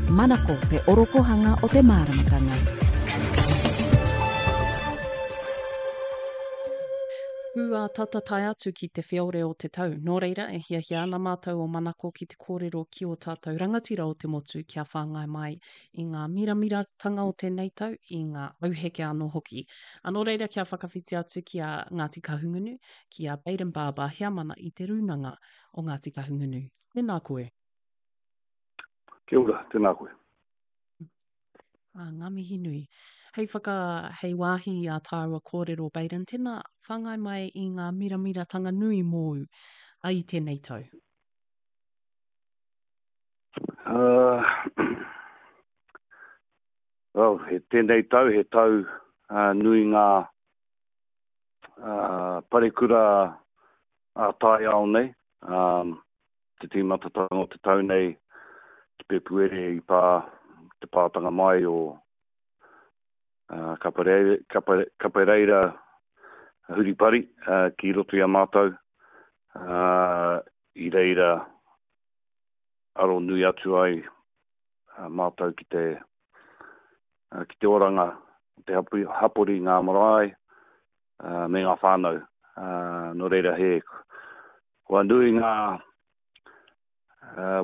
Manako te orokohanga o te māramatanga. Kua tata tae atu ki te whiore o te tau, nō reira e hiahia ana mātou o Manako ki te kōrero ki ō tātou rangatira o te motu kia whāngai mai i ngā miramiratanga o tēnei tau, i ngā auheke anō hoki. A nō reira kia whakawhiti atu ki a Ngāti Kahungunu, ki a Bayden Barber, heamana i te Rūnanga o Ngāti Kahungunu. Tēnā koe. Kia ora, tēnā koe. Ah, ngā mihi nui. Hei whaka, hei wāhi i ā tāua kōrero, Bayden, tēnā, whāngai mai i ngā miramiratanga nui mōu a i tēnei tau. Uh, well, he tēnei tau, he tau uh, nui ngā uh, parekura a taiao nei. Um, te tīmatatanga o te tau nei, te Pepuere i pā, te pātanga mai o uh, Kapareira, Kapareira Huripari uh, ki roto i a mātou. Uh, I reira aro nui atu ai mātou ki te, ki te oranga o te hapori, ngā marae, me ngā whānau. Nō reira he, kua nui ngā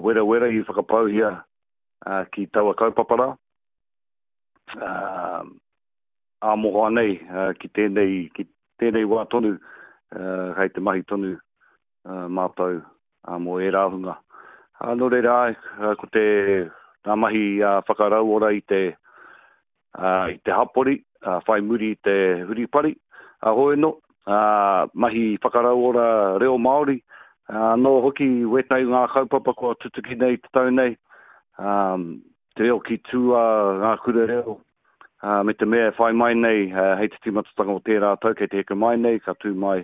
werawera i whakapauhia ki taua kaupapa rā. Ā mohoa nei ki tēnei, ki tēnei wā tonu, kei te mahi tonu mātou mō ērā hunga. Nō reira, āe, ko te, ngā mahi whakarauora i te, i te hapori, whai muri i te huripari, hoi anō, mahi whakarauora reo Māori, anō hoki wētahi o ngā kaupapa kua tutuki nei i te tau nei, te reo ki tua, ngā kura reo, Ā, me te mea e whai mai nei hei te tīmatatanga o tērā tau kei te heke mai nei, ka tū mai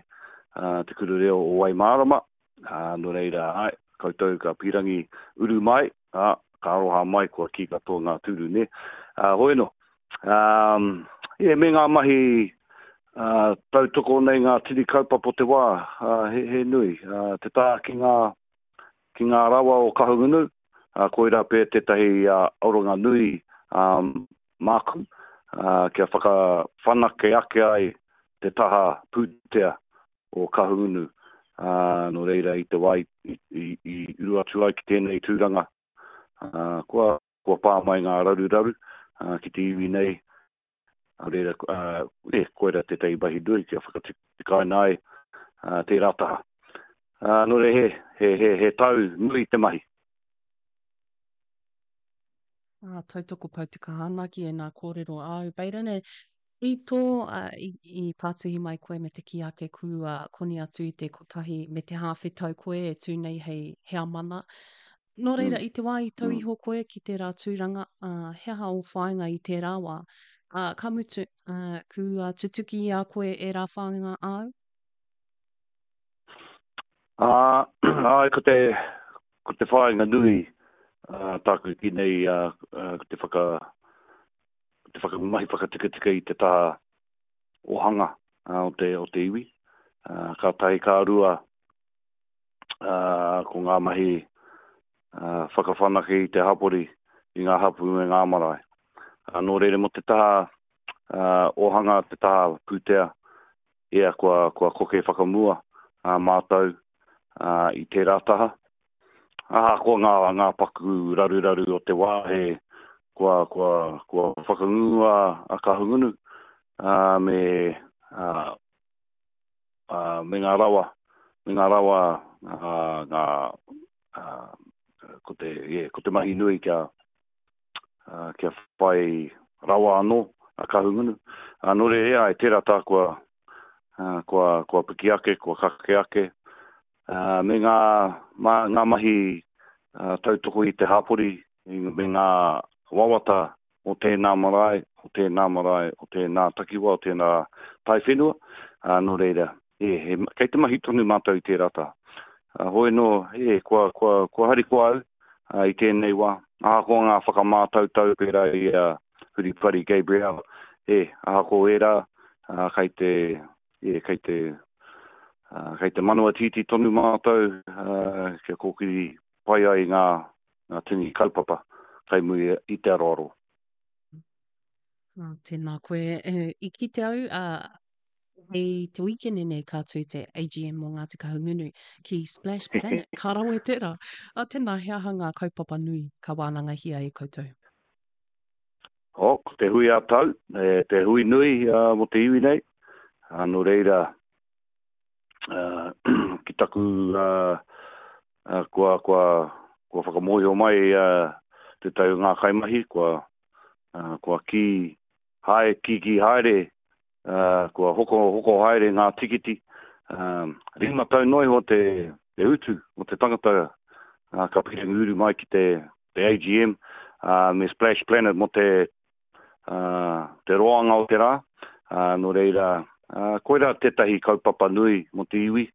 Te Kura Reo o Waimārama, ā, nō reira, āe, koutou ka pīrangi uru mai, ā, ka aroha mai kua kī katoa ngā tūru, nē. Ā, hoi anō, ā, yeah, me ngā mahi ā, tautoko nei ngā tini kaupapa o te wā, ā, he, he nui, ā, te taha ki ngā, ki ngā rawa o Kahungunu, ā, koirā pea tētahi aronga nui māku, ā, kia whakawhanake ake ai te taha pūtea o Kahungunu, ā, nō reira i te wā i, i, i uru atu ai ki tēnei tūranga, ā, kua, kua pā mai ngā raruraru, ā, ki te iwi nei, Nā reira, e, koira tētahi mahi nui kia whakatikaina ai tērā taha. Nō reira, he, he, he, he tau nui te mahi. Ah, tautoko pau te kaha ana ki ēnā kōrero āu. Bayden, e, i tō, uh, i, i pātuhi mai koe me te kī ake kua koni atu i te kotahi me te hāwhe tau koe e tū nei hei heamana. Nō reira, i te wā i tau iho koe ki tērā tūranga, ā, he aha ō whāinga i tērā wā? Ā, ka mutu, ā, kua tutuki i a koe ērā whāinga āu? Ā, āe, ko te, ko te whāinga nui, ā, tāku ki nei, ā, ko te whaka, ko te whakamahi whakatikatika i te taha ohanga, ā, o te, o te iwi. Ā, ka tahi, ka rua, ā, ko ngā mahi whakawhanake i te hapori, i ngā hapū me ngā marae. Ā, nō reira mō te taha ōhanga, te taha pūtea, ia, kua, kua koke whakamua ā mātou ā, i tērā taha. Ahakoa ngā, ngā paku raruraru o te wā, he, kua, kua, kua whakangungua a Kahungunu, ā, me, ā, ā, me ngā rawa, me ngā rawa, ā, ngā, ā, ko te, yeah, ko te mahi nui kia, ā, kia whai rawa anō a Kahungunu. Ā, nō reira, āe, tērā tā kua, ā, kua, kua piki ake, kua kake ake, ā, me ngā, mā, ngā mahi, ā, tautoko i te hapori, me ngā wawata o tēnā marae, o tēnā marae, o tēnā takiwā, o tēnā taiwhenua, ā, nō reira, e, he, kei te mahi tonu mātou i tērā taha. Ā, hoi nō, e, kua, kua, kua harikoa au, ā, i tēnei wā, ahakoa ngā whakamātautau pērā i a Huripari Gabrielle, e, ahakoa ērā, ā, kei te, e, kei te, ā, kei te manawa tītī tonu mātou, ā, kia kōkiri pai ai ngā, ngā tini kaupapa. kei muri i te aroaro. Ah, tēnā koe. E, I kite au, uh, i te wīkene nei ka tū te AGM mō Ngāti Kahungunu ki Splash Planet. Ka rawe tērā. Ah, tēnā, he aha ngā kaupapa nui ka wānangahia e koutou? Oh, ko te hui ā-tau, e, te hui nui uh, mō te iwi nei. Uh, nō reira, uh, ki taku uh, uh, kua, kua, kua whakamōhio mai uh, te tau ngā kaimahi, kua, uh, kua kī, hae, kī, kī haere, uh, kua hoko, hoko haere ngā tikiti. Uh, rima tau noa iho te, te utu o te tangata uh, ka pirangi uru mai ki te, te AGM uh, me Splash Planet mo te, uh, te roanga o te rā. Uh, nō reira, uh, koirā tētahi kaupapa nui mo te iwi,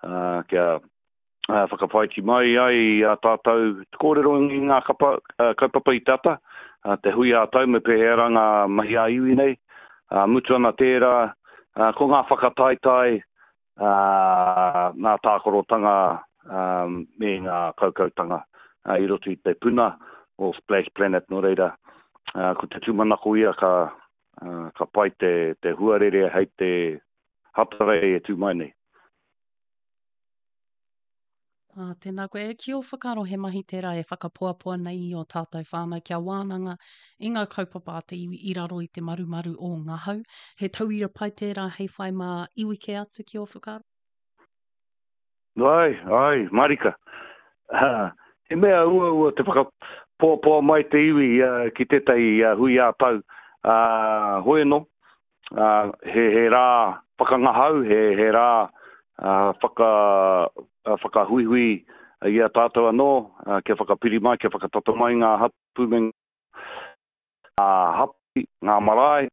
uh, kia uh, whakawhaiti mai ai i a tātou te kōrero i ngā kapa, uh, kaupapa i te ata, uh, te hui ā-tau me pēhea rā ngā mahi ā-iwi nei. Uh, mutu ana tērā, uh, ko ngā whakataetae, ā, ngā tākarotanga me ngā kaukautanga i roto i te puna o Splash Planet, nō reira, ko te tūmanako ia ka, ka pai te, te huarere hei te Hatarei e tū mai nei. Ā, tēnā koe. E, ki ō whakaaro he mahi tērā e whakapoapoa nei i ō tātou whānau kia wānanga i ngā kaupapa a te iwi i raro i te marumaru o ngā hau. He tauira pai tērā hei whai mā iwi kē atu ki ō whakaaro? Ai, ai, marika. He mea uaua te whakapoapoa mai te iwi ki tētahi hui ā-tau, ā, hoi anō, ā, he, he rā whakangahau, he, he rā ā, whaka, whakahuihui i a tātou anō, ā, kia whakapiri mai, kia whakatata mai ngā hapū me ngā hapori, ngā marae,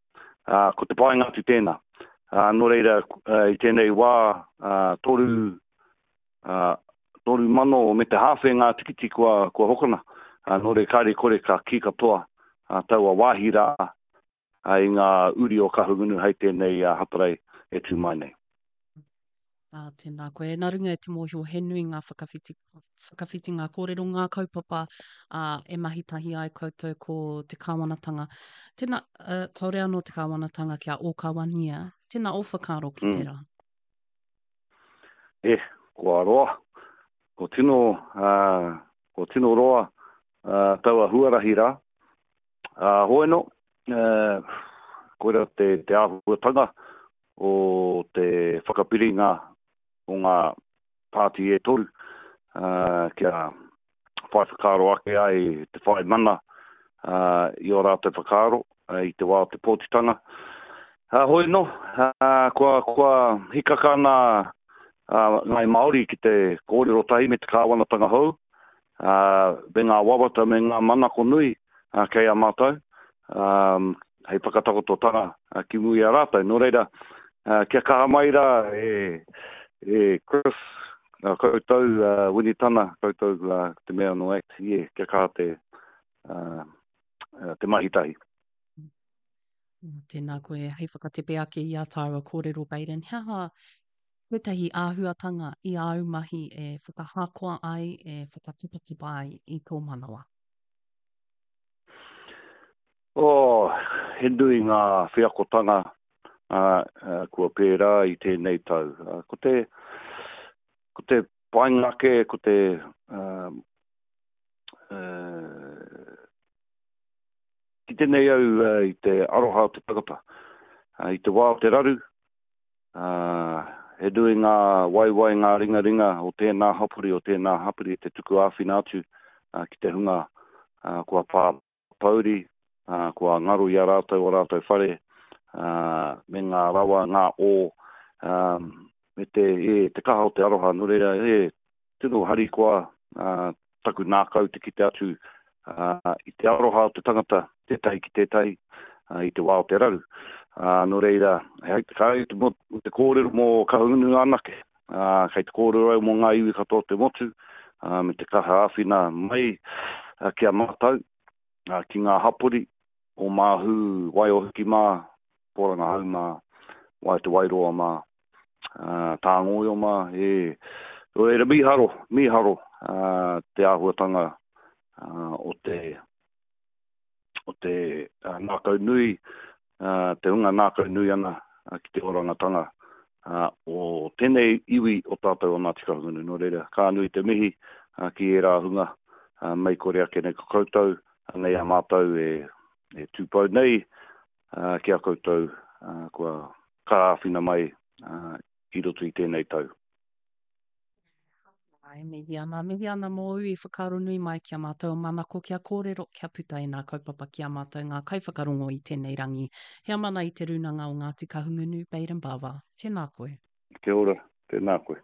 ā, ko te painga atu tēnā. Ā, nō reira, i tēnei wā, ā, toru, ā, 3,000 me te hāwhe ngā tikiti kua, kua hokona. Ā, nō reira, kāre kore ka kī katoa, ā, taua wāhi rā, i ngā uri o Kahungunu hei tēnei Hatarei e tū mai nei. Ā, tēnā koe. Nā runga i te mōhio he nui ngā whakawhiti, whakawhitinga kōrero, ngā kaupapa ā, e mahi tahi ai koutou ko te kāwanatanga. Tēnā, uh, kāore anō te kāwanatanga kia ōkawania. Tēnā ō whakaaro ki mm. tērā. E, kua roa. Ko tino, uh, ko tino roa uh, taua huarahi rā. Ā, hoeno, koira te, te āhuatanga o te whakapiringa o ngā pāti e toru, ā, kia whai whakaaro ake ai te whai mana ā, i ō rātou whakaaro i te wā o te pōtitanga. Ā, hoi anō, ā, kua, kua hikaka ana a Ngāi Māori ki te kōrero tahi me te kāwanatanga hou, ā, me ngā wawata me ngā manako nui kei a mātou, ā, hei whakatakototanga ki mua i a rātou. Nō reira, kia kaha mai rā e, e Chris, koutou, Winitana, koutou te mea no ACT, yeah, kia kaha te, te mahi tahi. Tēnā koe, hei whakatepe ake i a tāua kōrero, Baden, he aha tētahi āhuatanga i āu mahi e whakahakoa ai, e whakatipatipa ai i tō manawa? Oh, he nui ngā wheakotanga uh, kua pērā i tēnei tau. Uh, ko te, ko te painga ake, ko te uh, uh, kite nei au uh, i te aroha o te tangata. Uh, I te wā o te raru, Ā, he nui ngā waewae, ngā ringaringa o tēnā hapori, o tēnā hapori te tuku āwhina atu ki te hunga kua pā pouri, kua ngaro i a rātou ō rātou whare, ā, me ngā rawa, ngā ō, ā, me te, e, te kaha o te aroha. Nō reira, e, Tino harikoa taku nākau te kite atu i te aroha o te tangata tētahi ki tētahi i te wā o te raru. Nō reira, kāre te, te kōrero mō Kahungunu anake, kei te kōrero au mō ngā iwi katoa o te motu, me te kaha āwhina mai ki a mātou, ki ngā hapori o Māhū, Waiohiki mā, Pōrangahau mā, Wai Te Wairoa mā, Tāngoio mā, e, nō reira mīharo, mīharo te āhuatanga o te. ngākau nui, te hunga ngākau nui ana ki te orangatanga o tēnei iwi o tātou o Ngāti Kahungunu. Nō reira, ka nui te mihi ki ērā hunga, mei kore ake nei ko koutou, anei a mātou e tūpou nei ki a koutou kua ka āwhina mai i roto i tēnei tau. Āe, mihi ana, mihi ana mōu i whakaaro nui mai ki a mātou o Manako kia kōrero, kia puta ēnā kaupapa ki a mātou ngā kaiwhakarongo i tēnei rangi. Heamana i Te Rūnanga o Ngāti Kahungunu, Baden Bava, tēnā koe. Kia ora, tēnā koe.